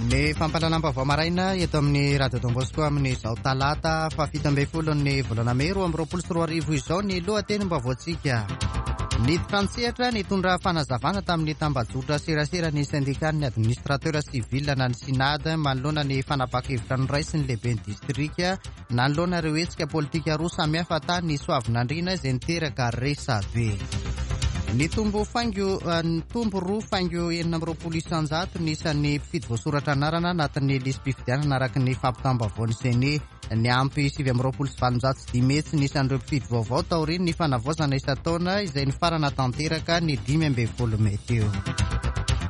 Ny fampahalalam-baovao maraina eto amin'ny Radio Don Bosco amin'izao talata faha 17 ny volana mey 2022 izao ny lohatenim-baovaontsika. Niditra an-tsehatra nitondra fanazavana tamin'ny tambajotra serasera ny syndicat-n'ny administrateur civil na ny SYNAD manoloana ny fanapahan-kevitra noraisin'ny lehiben'ny distrika Nanoloana ireo hetsika politika roa samihafa tany Soavinandriana izay niteraka resabe. Nitombo faingo nitombo 2,26% ny isan'ny mpifidy voasoratra anarana anatin'ny lisi-pifidianana araka ny fampitam-baovaon'ny Ceni. Niampy 829 ny isan'ireo mpifidy vaovao taorian'ny fanavaozana isan-taona izay nifarana tanteraka ny 15 mey teo.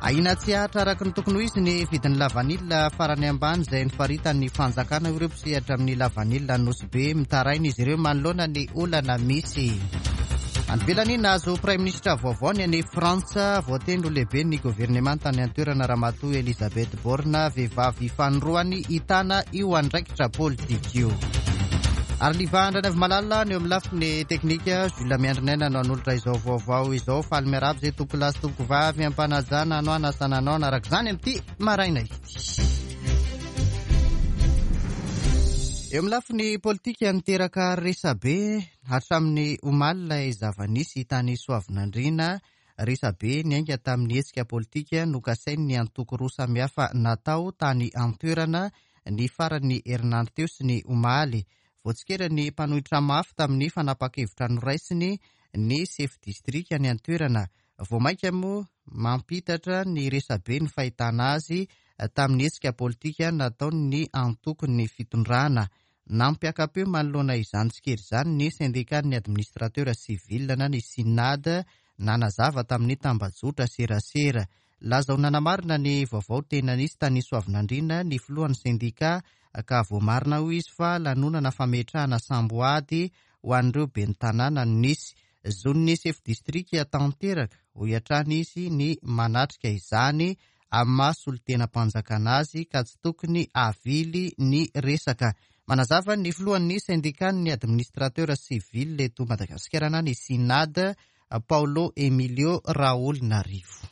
Ahiana tsy hahatra araka ny tokony ho izy ny vidin'ny lavanila farany ambany izay nofaritan'ny fanjakana ho ireo mpisehatra amin'ny lavanila Nosy Be. Mitaraina izy ireo manoloana ny olana misy. Any ivelany, nahazo praiminisitra vaovao ny any Frantsa. Voatendry ho lehiben'ny governemanta any an-toerana Ramatoa Elisabeth Borne, vehivavy fanindroany hitana io andraikitra politika io. Ary Liva Andrianaivomalala ny eo amin'ny lafiny teknika, Jules Miandrinaina no hanolotra izao vaovao izao. Faly miarahaba izay tompokolahy sy tompokovavy am-panajana no hanasana anao hanaraka izany amin'ity maraina ity. Eo amin'ny lafiny politika, niteraka resabe hatramin'ny omaly ilay zava-nisy tany Soavinandriana. Resabe niainga tamin'ny hetsika politika nokasain'ny antoko roa samihafa natao tany an-toerana ny faran'ny herinandro teo sy ny omaly. Voatsikeran'ny mpanohitra mafy tamin'ny fanapahan-kevitra noraisiny ny sefo distrika any an-toerana. Vao mainka moa mampitatra ny resabe ny fahitana azy tamin'ny hetsika politika nataon'ny antokon'ny fitondrana. Nampiaka-peo manoloana izany tsikera izany ny sendikan'ny administrateur civil na ny Synad nanazava tamin'ny tambajotra serasera. Laza ho nanamarina ny vaovao tena nisy tany Soavinandriana ny filohan'ny sendika ka voamarina hoy izy fa lanonana fametrahana samboady ho an'ireo ben'ny tanàna no nisy. Zon'ny sefo distrika tanteraka, hoy hatrany izy, ny manatrika izany amin'ny maha solontenam-panjakana azy ka tsy tokony havily ny resaka. Manazava ny filohan'ny sendikan'ny administrateur civil eto Madagasikara na ny Synad, Paolo Emilio Raholinarivo.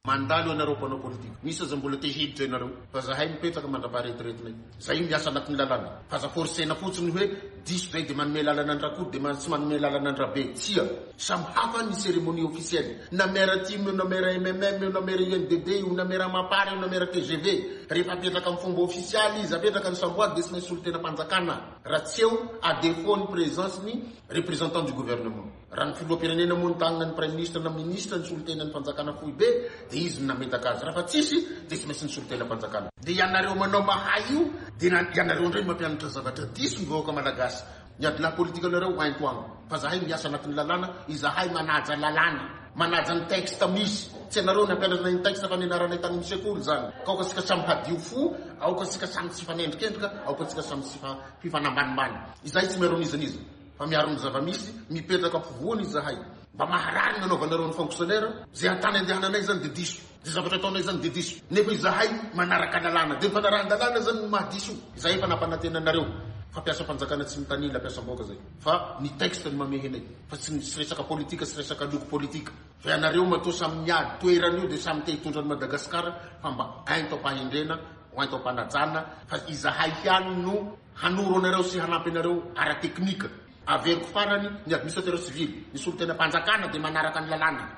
Mandalo ianareo mpanao politika. Misy aza mbola te hiditra ianareo. Fa zahay mipetraka mandrapaha-retiretinay. Zay miasa anatin'ny lalàna. Fa aza forcer-na fotsiny hoe diso zay dia manome lalana an-dRakoto dia tsy manome lalana an-dRabe. Tsia. Samy hafa ny cérémonie officielle. Na maire tim io na maire mmm io na maire INDD io na maire Mapar io na maire tgv. Rehefa apetraka amin'ny fomba ofisialy izy, apetraka ny samboady dia tsy maintsy solontenam-panjakana. Raha tsy eo, à défaut ny présence ny représentant du gouvernement. Raha ny filoham-pirenena moa nitànana ny praiminisitra na minisitra ny solontenan'ny fanjakana foibe dia izy no nametaka azy. Raha fa tsisy dia tsy maintsy ny solontenam-panjakana. Dia ianareo manao mahay io dia ianareo indray mampianatra zavatra diso ny vahoaka malagasy. Ny adilahy politikanareo ento agny fa zahay miasa anatin'ny lalàna, izahay manaja lalàna, manaja ny texte misy, tsy anareo nampianatra anay ny texte fa nianaranay tany amin'ny sekoly zany, ka aoka tsika samy hadio fo, aoka tsika samy tsy hifanendrikendrika, aoka tsika samy tsy hifanambanimbany, izahay tsy miaro an'iza n'iza fa miaro ny zava-misy, mipetraka afovoany izahay, mba maharary ny anaovanareo ny fonctionnaire, zay antany andehananay zany de diso. Izay zavatra ataonay izany dia diso. Nefa izahay manaraka lalàna. Dia ny fanarahan-dalàna izany no maha diso. Izahay efa nampanantena anareo fa mpiasam-panjakana tsy mitanila, mpiasam-bahoaka izay. Fa ny texte no mamehy anay. Fa tsy ny resaka politika sy resaka loko politika. Fa ianareo matoa samy miady toerana io dia samy te hitondra an'i Madagasikara fa mba ento am-pahendrena, ho ento am-panajana fa izahay ihany no hanoro anareo sy hanampy anareo ara-teknika. Averiko farany, ny administrateur civil, ny solontenam-panjakana dia manaraka ny lalàna.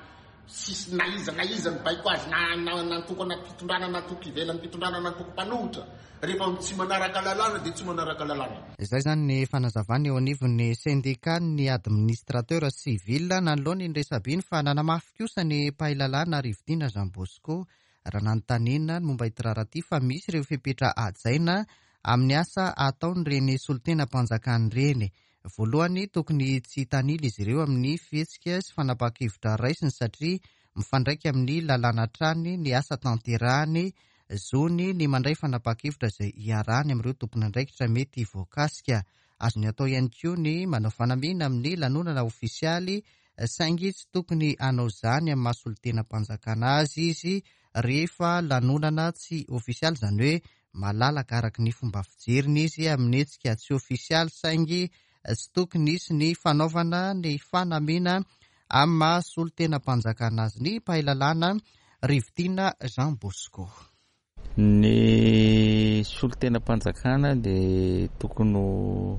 Tsisy na iza na iza mibaiko azy na na antoko anaty fitondrana na antoko ivelan'ny fitondrana na antoko mpanohitra. Rehefa tsy manaraka lalàna dia tsy manaraka lalàna. Izay izany ny fanazavana eo anivon'ny sendikan'ny administrateur civil nanoloana iny resabe iny fa nanamafy kosa ny mpahay lalàna Rivotiana Jean Bosco raha nanontaniana ny momba ity raharaha ity fa misy ireo fepetra hajaina amin'ny asa ataon'ireny solontenam-panjakana ireny. Voalohany, tokony tsy hitanila izy ireo amin'ny fihetsika sy fanapahan-kevitra raisiny satria mifandraika amin'ny lalàna hatrany ny asa tanterahany, zony ny mandray fanapahan-kevitra izay iarahany amin'ireo tompon'andraikitra mety voakasika. Azony atao ihany koa ny manao fanamiana amin'ny lanonana ofisialy saingy tsy tokony hanao izany amin'ny maha solontenam-panjakana azy izy rehefa lanonana tsy ofisialy, izany hoe malalaka araka ny fomba fijeriny izy amin'ny hetsika tsy ofisialy saingy tsy tokony hisy ny fanaovana ny fanamiana amin'ny maha solontenam-panjakana azy ny mpahay lalàna Rivotiana Jean Bosco. Ny solontenam-panjakana dia tokony ho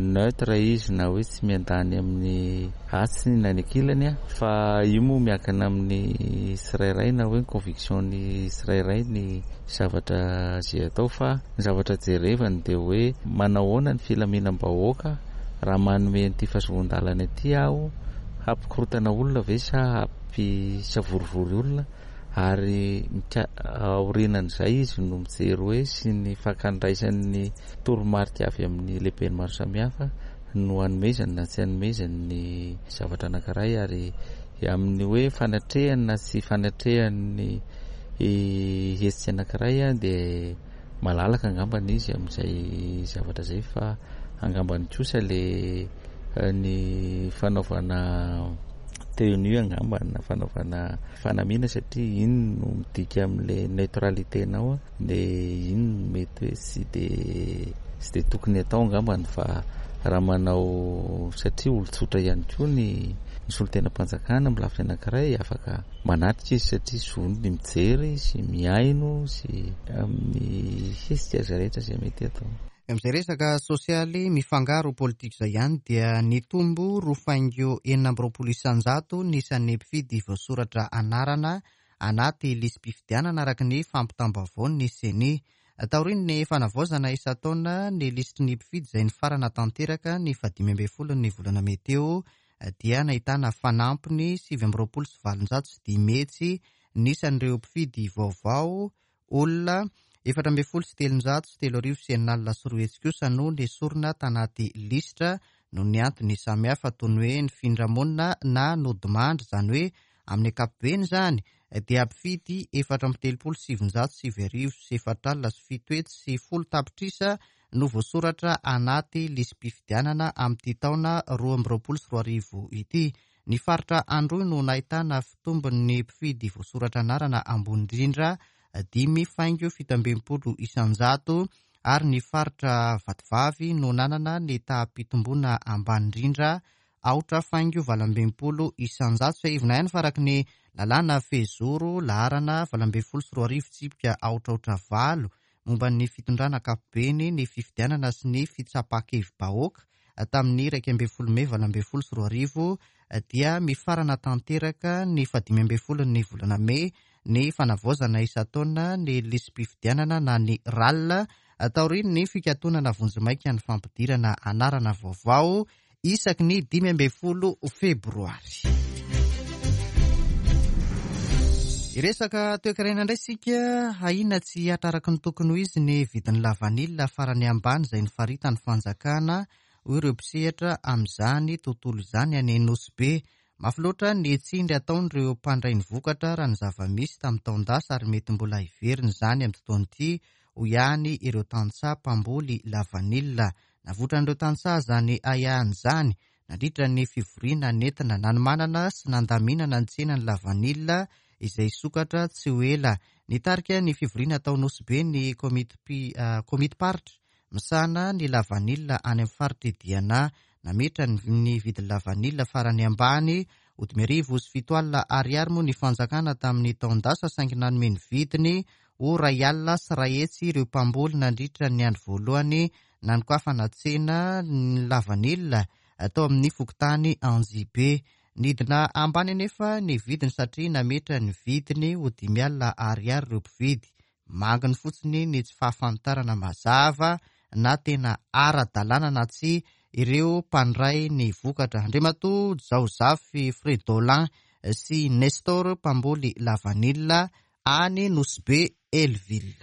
neutre izy na hoe tsy miandany amin'ny atsy na ny ankilany fa io moa miankina amin'ny tsirairay na hoe ny conviction-ny tsirairay ny zavatra izay atao fa ny zavatra jerevany dia hoe manao ahoana ny filaminam-bahoaka raha manome an'ity fahazoan-dalana ity aho, hampikorontana olona ve sa hampisavorovoro olona? Ary aorianan'izay izy no mijery hoe sy ny fankandraisany ny toromarika avy amin'ny lehibeny maro samihafa no hanomezany na tsy hanomezany ny zavatra anankiray ary amin'ny hoe fanatrehany na tsy fanatrehany ny hetsika anankiray dia malalaka angambany izy amin'izay zavatra izay fa angambany kosa le ny fanaovana tenue angamba na fanaovana fanamiana satria iny no midika amin'ilay neutralité-nao dia iny no mety hoe tsy dia tsy dia tokony atao angambany fa raha manao satria olon-tsotra ihany koa ny ny solontenam-panjakana amin'ny lafiny anankiray afaka manatrika izy satria zony ny mijery sy mihaino sy amin'ny hetsika izay rehetra izay mety atao. Amin'izay resaka sosialy mifangaro politika izay ihany dia nitombo roa faingo 26% ny isan'ny mpifidy voasoratra anarana anaty lisi-pifidianana araka ny fampitam-baovaon'ny Ceni. Taorian'ny fanavaozana isan-taona ny lisitry ny mpifidy izay nifarana tanteraka ny fahadimy ambin'ny folon'ny volana mey teo dia nahitana fanampiny 829 sy ny isan'ireo mpifidy vaovao. Olona 314 360 kosa no nesorina tanaty lisitra noho ny antony samihafa toy ny hoe nifindra monina na nodimandry, izany hoe amin'ny ankapobeny izany dia mpifidy 334 909 710 tapitrisa no voasoratra anaty lisi-pifidianana amin'ity taona 2022 ity. Ny faritra Androy no nahitana fitombon'ny mpifidy voasoratra anarana ambony indrindra, 5.67%, ary ny faritra Vatovavy no nanana ny taham-pitomboana ambany indrindra, 8.68%. Tsiahivina ihany fa araka ny lalàna fehizoro laharana 2018-008 momba ny fitondrana ankapobeny ny fifidianana sy ny fitsapan-kevi-bahoaka tamin'ny 11 mey 2018 dia mifarana tanteraka ny faha-15 ny volana mey ny fanavaozana isan-taona ny lisi-pifidianana na ny RAL taorian'ny fikatonana vonjimaika ny fampidirana anarana vaovao isaky ny 15 febroary. Hiresaka toekarena indray isika. Ahiana tsy hihatra araka ny tokony ho izy ny vidin'ny lavanila farany ambany izay nifaritan'ny fanjakana, hoy ireo mpisehatra amin'izany tontolo izany any Nosy Be. Mafy loatra ny tsindry ataon'ireo mpandray ny vokatra raha ny zava-misy tamin'ny taon-dasa ary mety mbola hiverina izany amin'ity taona ity, hoy ihany ireo tantsaha mpamboly lavanila. Navoitran'ireo tantsaha izany ahiahiny izany nandritra ny fivoriana nentina nanomanana sy nandaminana ny tsenan'ny lavanila izay hisokatra tsy ho ela. Nitarika ny fivoriana tao Nosy Be ny komity-paritra misahana ny lavanila any amin'ny faritr'i Diana. Nametra ny vidin'ny lavanila farany ambany ho 750 ariary moa ny fanjakana tamin'ny taon-dasa saingy nanome ny vidiny ho 101 100 ireo mpamboly nandritra ny andro voalohany nanokafana tsena ny lavanila tao amin'ny fokontany Anjibe. Nidina ambany anefa ny vidiny satria nametra ny vidiny ho 50 ariary ireo mpividy. Manginy fotsiny ny tsy fahafantarana mazava na tena ara-dalàna na tsy ireo mpandray ny vokatra. Andriamatoa Jaozafy Fredolin sy Nestor mpamboly lavanila any Nosy Be Hell-Ville.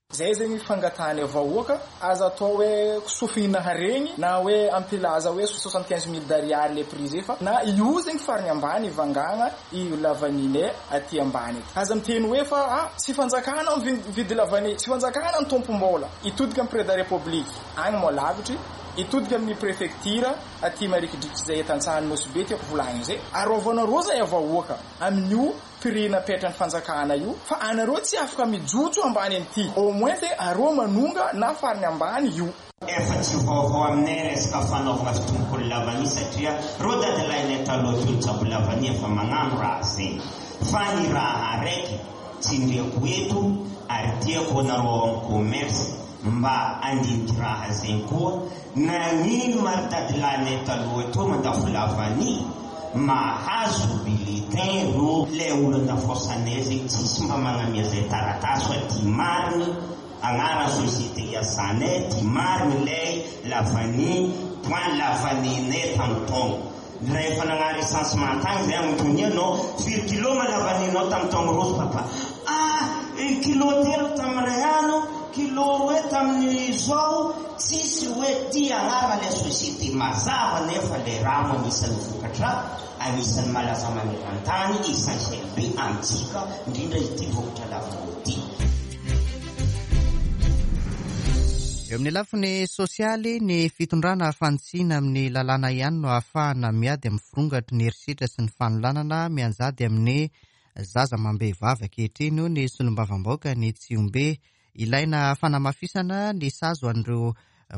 Zay zegny fangatahany vahoaka aza atao hoe sofina haregny na hoe ampilaza hoe 75 000 d'ariary le prix zay, fa na io zegny farany ambany vangagna io lavanile aty ambany aty. Aza miteny hoe fa ah, tsy fanjakana mividy lavanille, tsy fanjakana ny tompom-bola. Itodika amin'ny président république agny moa lavitry, itodika amin'ny préfecture aty marikidriky zay tantsahan'ny Nosy Be tiako volagny zay. Arovanareo zay vahoaka amin'io prix napetrany fanjakana io fa anareo tsy afaka mijotso ambany an'ity, au moins ze areo manonga na farany ambany io. Efa tsy vaovao aminay resaka fanaovana fitompony lavania satria reo dadilahinay taloha teo nitsabo lavania efa magnano raha zegny, fa ny raha araiky tsindriako eto. Ary tiako anareo ao amin'ny commerce mba handiniky raha zegny koa, nagnino ma ry dadilahinay taloha teo mandafo lavanille mahazo bulletin reo le olo andafosanay zegny tsisy mba magnamia zay taratasy fa ty marigny agnarany société iasanay ty marigny lay lavanille point lavanille-nay tamin'ny taogno Rehefa nagnano recensement tagny zay agnontania anao firy kilo ma lavaninao tam taogno roso papa ah kilo telo tam ray ano kilo roe taminy zao tsisy hoe ty agnarana le société mazava nefa le rano agnisan'ny vokatra agnisan'ny malaza manerantany essentiel be amitsika indrindra ity vokatra lavanio ty. Eo amin'ny lafiny sosialy, ny fitondrana fanitsiana amin'ny lalàna ihany no ahafahana miady amin'ny firongatry ny herisetra sy ny fanolanana mianjady amin'ny zaza amam-behivavy ankehitriny, hoy ny solombavambahoaka ny Tsihombe. Ilaina fanamafisana ny sazy ho an'ireo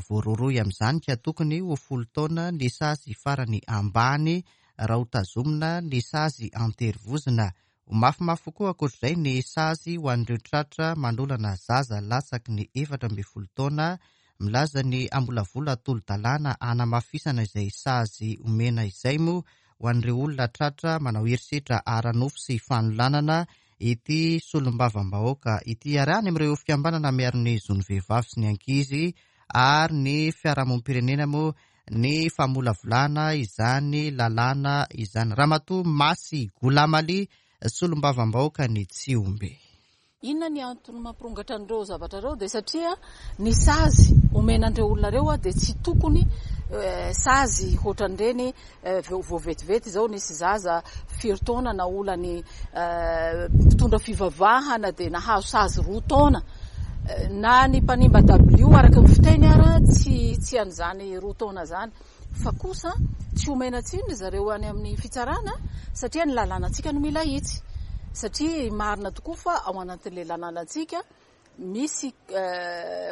voarohirohy amin'izany ka tokony ho folo taona ny sazy farany ambany raha hotazomina ny sazy an-terivozona. Ho mafimafy kokoa ankoatr'izay ny sazy ho an'ireo tratra manolana zaza latsaky ny 14 taona. Milaza ny hamolavola tolo-dalàna hanamafisana izay sazy omena izay moa ho an'ireo olona tratra manao herisetra ara-nofo sy fanolanana ity solombavambahoaka ity. Ary any amin'ireo fikambanana miaro ny zon'ny vehivavy sy ny ankizy ary ny fiarahamonim-pirenena moa ny famolavolana izany lalàna izany. Ramatoa Masy Goulamali, solombavambahoakan'i Tsihombe. Inona ny antony mampirongatra an'ireo zavatra ireo? Dia satria ny sazy omena an'ireo olona ireo dia tsy tokony sazy hoatran'ireny vao vetivety izao nisy zaza firy taona naolan'ny mpitondra fivavahana dia nahazo sazy 2 taona. Na ny mpanimba dabilio araka ny fiteny ara tsy an'izany 2 taona izany. Fa kosa tsy omena tsiny ry zareo any amin'ny fitsarana satria ny lalànantsika no mila ahitsy. Satria marina tokoa fa ao anatin'ilay lalànantsika misy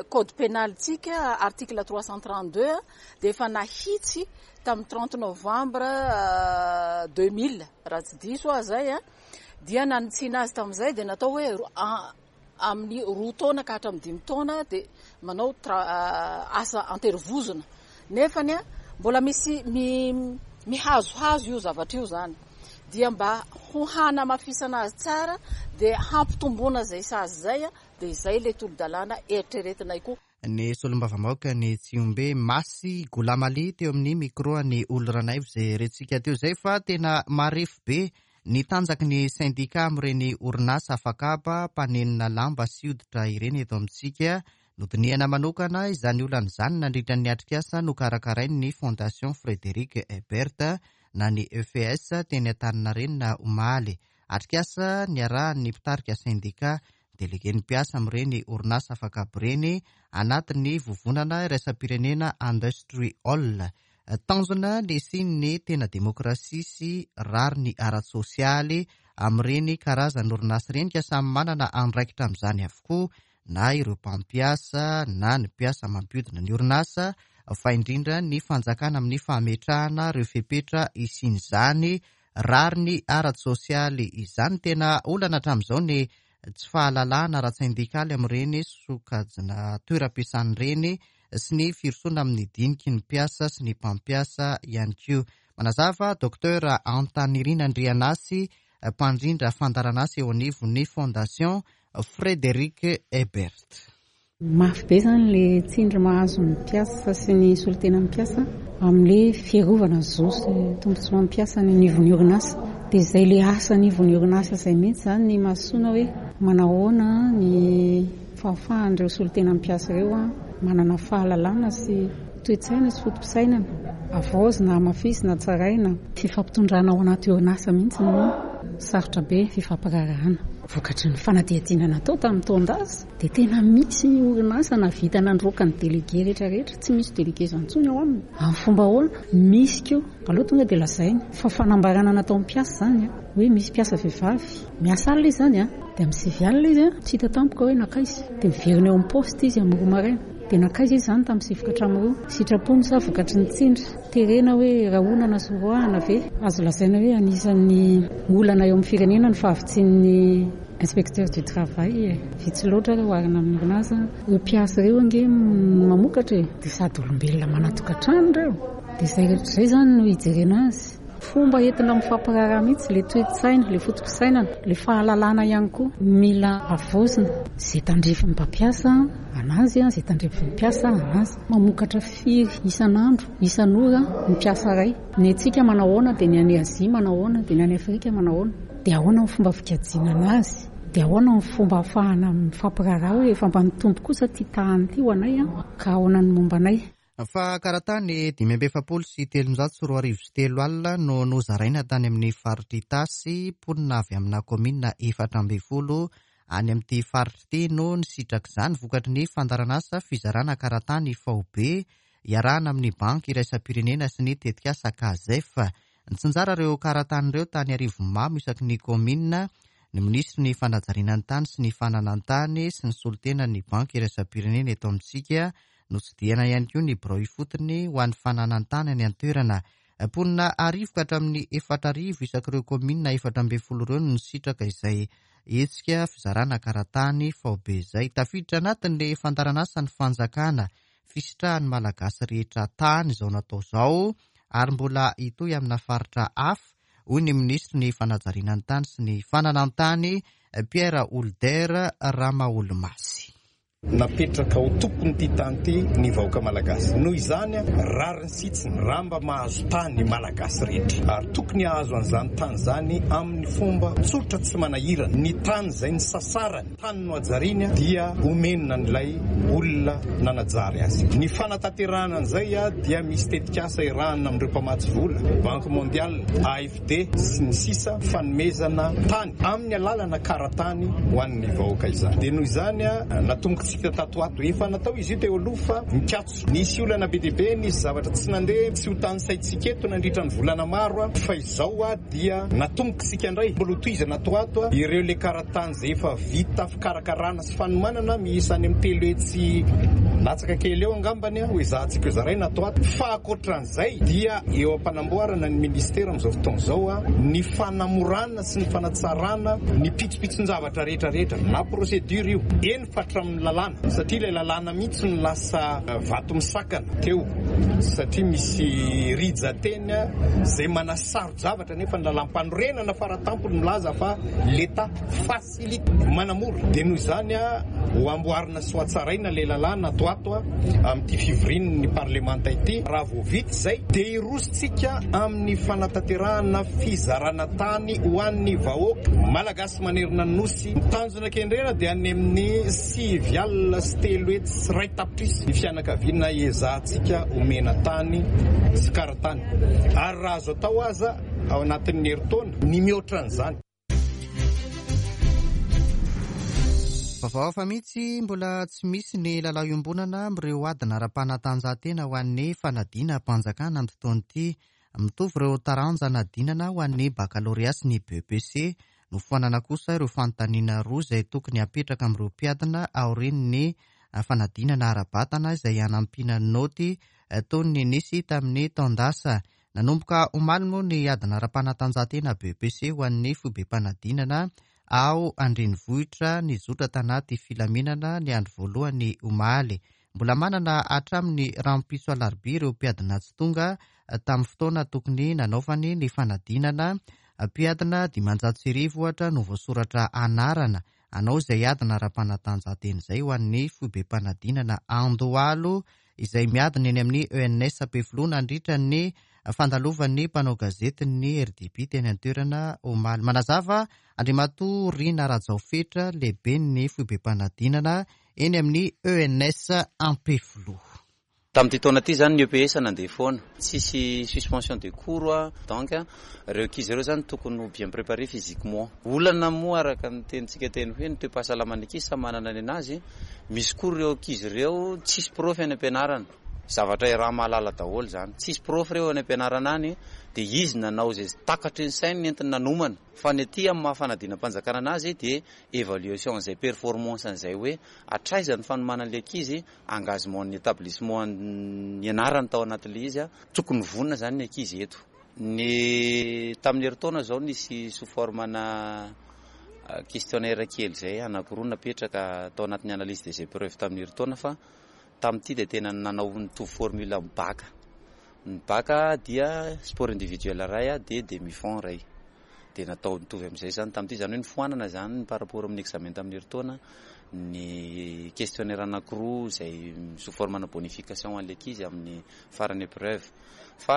code pénal-tsika article 332 dia efa nahitsy tamin'ny 30 novembre 2000 raha tsy diso aho izay, dia nanitsiana azy tamin'izay dia natao hoe amin'ny 2 taona ka hatramin'ny 5 taona dia manao asa anterivozona. Nefany mbola misy mihazohazo io zavatra io izany. Dia mba ho hanamafisana azy tsara dia hampitomboana izay sazy izay, dia izay ilay tolo-dalàna eritreretinay koa. Ny solombavambahoaka ny Tsihombe, Masy Goulamali teo amin'ny micro an'i Oly Ranaivo izay rentsika teo izay fa tena marefo be ny tanjaky ny sendika amin'ireny orinasa afakaba mpanenona lamba sy hoditra ireny eto amintsika. Nodinihana manokana izany olana izany nandritra ny atrikasa nokarakarain'ny Fondation Frédéric Ebert na ny EFS teny Antaninarenina omaly. Atrikasa niarahan'ny mpitarika sendika, delegen'ny mpiasa amin'ireny orinasa afakaba ireny anatin'ny vovonana iraisam-pirenena Industry All. Tanjona ny hisian'ny tena demokrasia sy rariny ara-tsosialy amin'ireny karazan'orinasa ireny ka samy manana andraikitra amin'izany avokoa na ireo mpampiasa na ny mpiasa mampiodina ny orinasa fa indrindra ny fanjakana amin'ny fametrahana ireo fepetra hisian'izany rariny ara-tsosialy izany. Tena olana hatramin'izao ny tsy fahalalahana ara-tsendikaly amin'ireny sokajina toeram-piasana ireny sy ny firosoana amin'ny diniky ny mpiasa sy ny mpampiasa ihany koa. Manazava Docteur Antanirina Andrianasy, mpandrindra fandaharanasa eo anivon'ny Fondation Frédéric Ebert. Mafy be izany ilay tsindry mahazo ny mpiasa sy ny solontenan'ny mpiasa amin'ilay fiarovana ny zo sy tombontsoan'ny mpiasa any anivon'ny orinasa. Dia izay ilay asa anivon'ny orinasa izay mihitsy izany ny imasoana hoe manahoana ny fahafahan'ireo solontenan'ny mpiasa ireo manana fahalalana sy toe-tsaina sy foto-pisainana havaozina, hamafisina, hatsaraina. Fifampitondrana ao anaty orinasa mihitsy no sarotra be fifampiraharahana. Vokatry ny fanadihadiana natao tamin'ny taon-dasa dia tena misy ny orinasa nahavita nandroaka ny délégué rehetra rehetra, tsy misy délégué izany intsony ao aminy. Amin'ny fomba ahoana? Misy koa, aleo tonga dia lazaina fa fanambarana nataon'ny mpiasa izany hoe misy mpiasa vehivavy miasa alina izy izany dia amin'ny sivy alina izy tsy hita tampoka hoe nankaiza dia miverina eo amin'ny poste izy amin'ny roa maraina. Dia nankaiza izy izany tamin'ny sivy ka hatramin'ny roa? Sitrapony sa vokatry ny tsindry? Terena hoe rahonana sy roahana ve? Azo lazaina hoe anisan'ny olana eo amin'ny firenena ny fahavitsian'ny. inspecteur du travail e. Vitsy loatra raha oharina amin'ny orinasa. Ireo mpiasa ireo ange mamokatra e. Dia sady olombelona manan-tokantrano ireo. Dia izay rehetra izay izany no hijerena azy. Fomba entina mifampiraharaha mihitsy ilay toe-tsaina, ilay foto-pisainana, ilay fahalalana ihany koa mila havaozina. Izay tandrifin'ny mpampiasa anazy, izay tandrifin'ny mpiasa anazy. Mamokatra firy isan'andro, isan'ora ny mpiasa iray. Ny antsika manao ahoana dia ny any Azia manao ahoana dia ny any Afrika manao ahoana. Dia ahoana ny fomba fikajiana anazy? Dia ahoana ny fomba ahafahana mifampiraharaha hoe efa mba nitombo kosa ity tahany ity ho anay ka ahoana ny momba anay? Fa karatany 2345 alina no nozaraina tany amin'ny faritr'i Itasy, mponina avy amina kaominina 14 any amin'ity faritra ity no nisitraka izany vokatry ny fandaharanasa fizarana karatany faobe iarahana amin'ny Banky iraisam-pirenena sy ny tetikasa Cazef. Nitsinjara ireo karatany ireo tany Arivonimamo isaky ny kaominina ny minisitry ny fanajariana ny tany sy ny fananan-tany sy ny solontenan'ny Banky iraisam-pirenena eto amintsika. Notsidihana ihany koa ny birao ifotony ho an'ny fananan-tany any an-toerana. Mponina arivo ka hatramin'ny 4000 isak'ireo kaominina 14 ireo no nisitraka izay hetsika fizarana karatany faobe izay. Tafiditra anatin'ny fandaharan'asan'ny fanjakana fisitrahan'ny Malagasy rehetra tany izao natao izao ary mbola hitohy amina faritra hafa, hoy ny minisitry ny fanajariana ny tany sy ny fananan-tany, Pierre Houlder Ramaholimasy. Napetraka ho tompon'ity tany ity ny vahoaka malagasy. Noho izany, rariny sy hitsiny raha mba mahazo tany ny Malagasy rehetra. Ary tokony hahazo an'izany tany izany amin'ny fomba tsotra tsy manahirana. Ny tany izay nisasarany, tany nohajariany dia omena an'ilay olona nanajary azy. Ny fanatanterahana an'izay dia misy tetikasa iarahana amin'ireo mpamatsy vola, Banque Mondiale, AFD, sy ny sisa, fanomezana tany amin'ny alalana kara-tany ho an'ny vahoaka izany. Dia noho izany natombokintsika tato ho ato. Efa natao izy io teo aloha fa mikatso. Nisy olana be dia be, nisy zavatra tsy nandeha, tsy ho tanisaintsika eto nandritra ny volana maro fa izao dia natombokintsika indray. Mbola hotohizana ato ho ato ireo ilay kara-tany izay efa vita fikarakarana sy fanomanana miisa any amin'ny 300 latsaka kely eo angambany ho ezahantsika hozaraina ato ho ato. Fa ankoatran'izay dia eo am-panamboarana ny minisitera amin'izao fotoana izao ny fanamorana sy ny fanatsarana ny pitsopitson-javatra rehetra rehetra na procédure io, eny fa hatramin'ny lalàna satria ilay lalàna mihitsy no lasa vato misakana teo satria misy rijan-teny izay manasaro-javatra nefa ny lalàm-panorenana faratampony milaza fa l'Etat facilite, manamora. Dia noho izany ho amboarina sy ho hatsaraina ilay lalàna ato ato amin'ity fivorian'ny parlemanta ity. Raha vao vita izay dia hirosontsika amin'ny fanatanterahana fizarana tany ho an'ny vahoaka malagasy manerana ny Nosy. Ny tanjona kendrena dia any amin'ny 390 tapitrisa ny fianakaviana ezahantsika omena tany sy karatany ary raha azo atao aza ao anatin'ny herintaona ny mihoatra an'izany. Vaovao hafa mihitsy, mbola tsy misy ny lalao iombonana amin'ireo adina ara-panatanjahantena ho an'ny fanadinam-panjakana amin'ity taona ity. Mitovy ireo taranja anadinana ho an'ny bakalorea sy ny BEPC. Nofoanana kosa ireo fanontaniana roa izay tokony hapetraka amin'ireo mpiadina aorian'ny fanadinana ara-batana izay hanampiana naoty toy ny nisy tamin'ny taon-dasa. Nanomboka omaly moa ny adina ara-panatanjahantena BEPC ho an'ny foibem-panadinana ao an-drenivohitra nizotra tanaty filaminana ny andro voalohany omaly. Mbola manana hatramin'ny rahampitso alarobia ireo mpiadina tsy tonga tamin'ny fotoana tokony nanaovany ny fanadinana. Mpiadina 1500 ohatra no voasoratra anarana hanao izay adina ara-panatanjahantena izay ho an'ny foibem-panadinana Andohalo izay miadina eny amin'ny ENS Ampefiloha nandritra ny fandalovan'ny mpanao gazetin'ny RDB teny an-toerana omaly. Manazava Andriamatoa Rina Rajaofetra, lehiben'ny foibem-panadinana eny amin'ny ENS Ampefiloha. Tamin'ity taona ity izany ny EPS nandeha foana, tsisy suspension de cours donc ireo ankizy ireo izany tokony ho bien préparé physiquement. Olana moa araka ny tenintsika teny hoe ny toe-pahasalaman'ny ankizy samy manana ny an'azy, misy koa ireo ankizy ireo tsisy prof any am-pianarana, zavatra iaraha-mahalala daholo izany, tsisy prof ireo any am-pianarana any dia izy nanao izay takatry ny sainy nentiny nanomana, fa ny aty amin'ny maha fanadinam-panjakana an'azy dia évaluation an'izay performance an'izay hoe hatraiza ny fanomanan'ilay ankizy, engagement ny établissement nianarany tao anatin'ilay izy, tokony vonona izany ny ankizy eto. Ny tamin'ny herintaona izao nisy sous forme ana. Questionnaire kely izay anankiroa napetraka tao anatin'ny analyse des épreuves tamin'ny herintaona fa tamin'ity dia tena nanao nitovy formule amin'ny bac. Ny bac dia sport individuel iray dia demi fond iray. Dia natao nitovy amin'izay izany tamin'ity, izany hoe nofoanana izany par rapport amin'ny examen tamin'ny herintaona ny questionnaire anankiroa izay sous forme-na bonification ho an'ny ankizy amin'ny faran'ny épreuve. Fa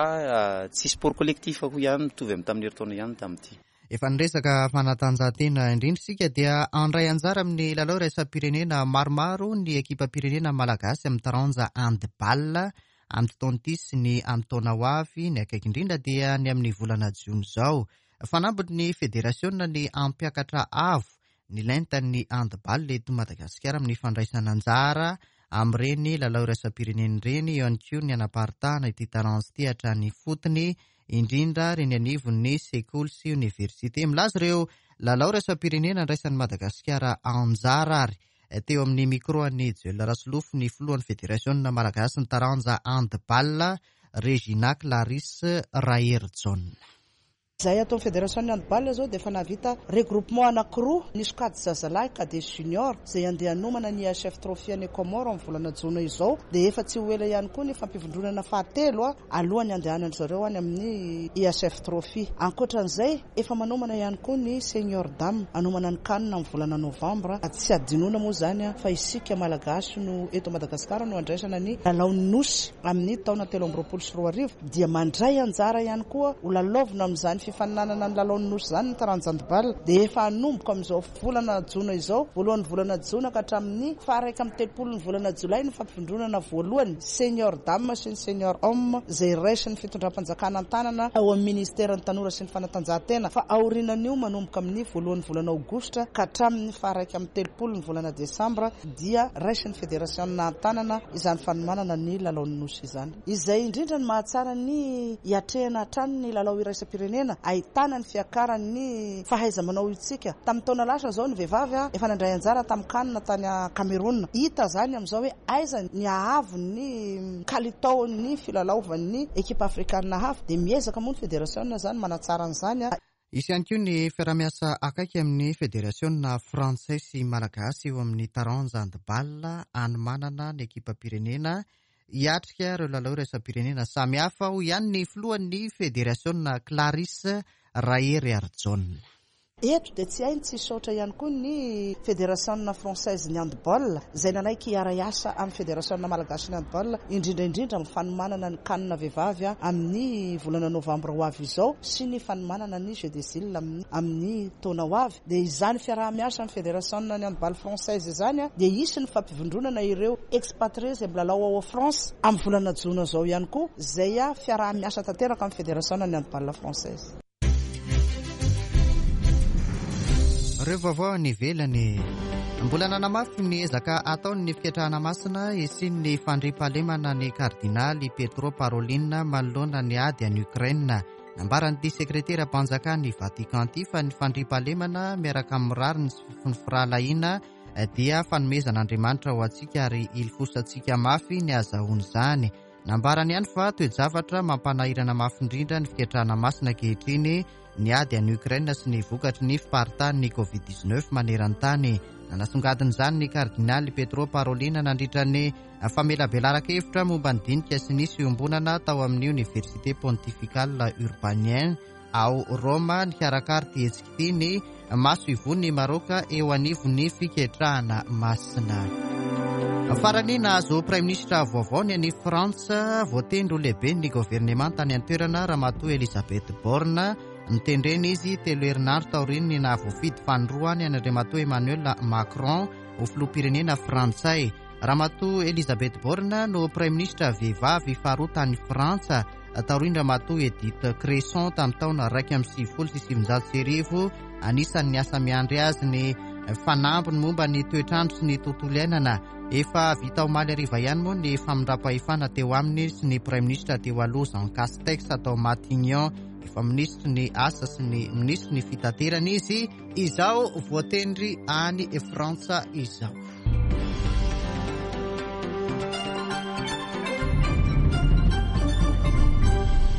tsy sport collectif koa ihany mitovy amin'ny tamin'ny herintaona ihany tamin'ity. Efa niresaka fanatanjahantena indrindra isika dia handray anjara amin'ny lalao iraisam-pirenena maromaro ny ekipam-pirenena malagasy amin'ny taranja handball amin'ity taona ity sy ny amin'ny taona ho avy, ny akaiky indrindra dia ny amin'ny volana jiona izao. Fanambiny ny federasiona ny hampiakatra avo ny lentan'ny handball eto Madagasikara amin'ny fandraisana anjara amin'ireny lalao iraisam-pirenena ireny, eo ihany koa ny hanaparitahana ity taranja ity hatrany ifotony, indrindra eny anivon'ny sekoly sy oniversite. Milaza ireo lalao iraisam-pirenena andraisan'i Madagasikara anjara ary teo amin'ny micro an'i Joel Rasolofo ny filohan'ny federasiona malagasy ny taranja handball, Regina Clarisse Raherijaona. Izahay ato amin'ny federasion'ny handball izao dia efa nahavita regroupement anankiroa, ny sokajy zazalahy, cadet junior, izay handeha hanomana ny IHF Trophy any Comores amin'ny volana jona izao, dia efa tsy ho ela ihany koa ny fampivondronana fahatelo alohan'ny handehanan-dry zareo any amin'ny IHF Trophy. Ankoatra an'izay, efa manomana ihany koa ny Senior Dame hanomana ny Can amin'ny volana novambra. Tsy hadinoina moa izany fa isika Malagasy no eto Madagasikara no handraisana ny lalaon'ny Nosy amin'ny taona 2023. Dia mandray anjara ihany koa ho lalaovina amin'izany fifaninanana ny lalaon'ny Nosy izany ny taranja handball. Dia efa hanomboka amin'izao volana jona izao, voalohan'ny volana jona ka hatramin'ny faha-31 ny volana jolay ny fampivondronana voalohany Senior Dame sy ny Senior Homme izay raisin'ny fitondram-panjakana an-tanana ao amin'ny Ministeran'ny Tanora sy ny Fanatanjahantena fa aorianan'io manomboka amin'ny voalohan'ny volana aogositra ka hatramin'ny faha-31 ny volana desambra dia raisin'ny federasiona an-tanana izany fanomanana ny lalaon'ny Nosy izany. Izay indrindra no mahatsara ny hiatrehana hatrany ny lalao iraisam-pirenena, ahitana ny fiakaran'ny fahaiza-manao itsika. Tamin'ny taona lasa izao ny vehivavy efa nandray anjara tamin'ny can tany Cameroun. Hita izany amin'izao hoe aiza ny haavon'ny kalitaon'ny filalaovan'ny ekipa afrikanina hafa. Dia miezaka moa ny federasiona izany manatsara an'izany. Hisy ihany koa ny fiaraha-miasa akaiky amin'ny federasiona frantsay sy malagasy eo amin'ny taranja handball hanomanana ny ekipam-pirenena hiatrika ireo lalao iraisam-pirenena samihafa, hoy ihany ny filohan'ny federasiona Clarisse Raheriarijaona. Eto dia tsy hay ny tsy hisaotra ihany koa ny Federasiona Française ny Handball izay nanaiky hiara-hiasa amin'ny Federasiona Malagasy ny Handball indrindra indrindra amin'ny fanomanana ny Can vehivavy amin'ny volana novambra ho avy izao sy ny fanomanana ny Jeux des Iles amin'ny taona ho avy. Dia izany fiaraha-miasa amin'ny Federasiona ny Handball Française izany dia hisy ny fampivondronana ireo expatriés izay milalao ao France amin'ny volana jona izao ihany koa izay fiaraha-miasa tanteraka amin'ny Federasiona ny Handball Française. Ireo vaovao any ivelany. Mbola nanamafy ny ezaka ataony ny fiketrahana masina hisian'ny fandriampahalemana ny kardinaly Pietro Parolin manoloana ny ady any Ukraine. Nambaran'ity sekreteram-panjakan'ny Vatican ity fa ny fandriampahalemana miaraka amin'ny rariny sy ny firahalahiana dia fanomezan'Andriamanitra ho antsika ary ilifosantsika mafy ny hahazahoana izany. Nambarany ihany fa toe-javatra mampanahirana mafy indrindra ny fiketrahana masina ankehitriny ny ady any Ukraine sy ny vokatry ny fiparitahan'ny Covid 19 maneran-tany. Nanasongadina izany ny kardinaly Pietro Parolin nandritra ny famelabelaran-kevitra momba ny dinika sy ny fiombonana tao amin'ny Oniversite Pontificale Urbanien Ao Roma, nikarakara ity hetsika ity ny masoivohon'i Maraoka eo anivon'ny fiketrahana masina. Farany, nahazo praiminisitra vaovao ny any Frantsa, voatendry ho lehiben'ny governemanta any an-toerana Ramatoa Elisabeth Borne. Notendrena izy telo herinandro taorian'ny nahavoafidy fanindroany an'Andriamatoa Emmanuel Macron ho filoham-pirenena frantsay. Ramatoa Elisabeth Borne no praiminisitra vehivavy faharoa tany Frantsa taorian-dRamatoa Edith Cresson tamin'ny taona 1991. Anisan'ny asa miandry azy ny fanambiny momba ny toetr'andro sy ny tontolo iainana. Efa vita omaly hariva ihany moa ny famindram-pahefana teo aminy sy ny praiminisitra teo aloha Jean Castex tao Matignon. Efa minisitry ny asa sy ny minisitry ny fitaterana izy izao voatendry any Frantsa izao.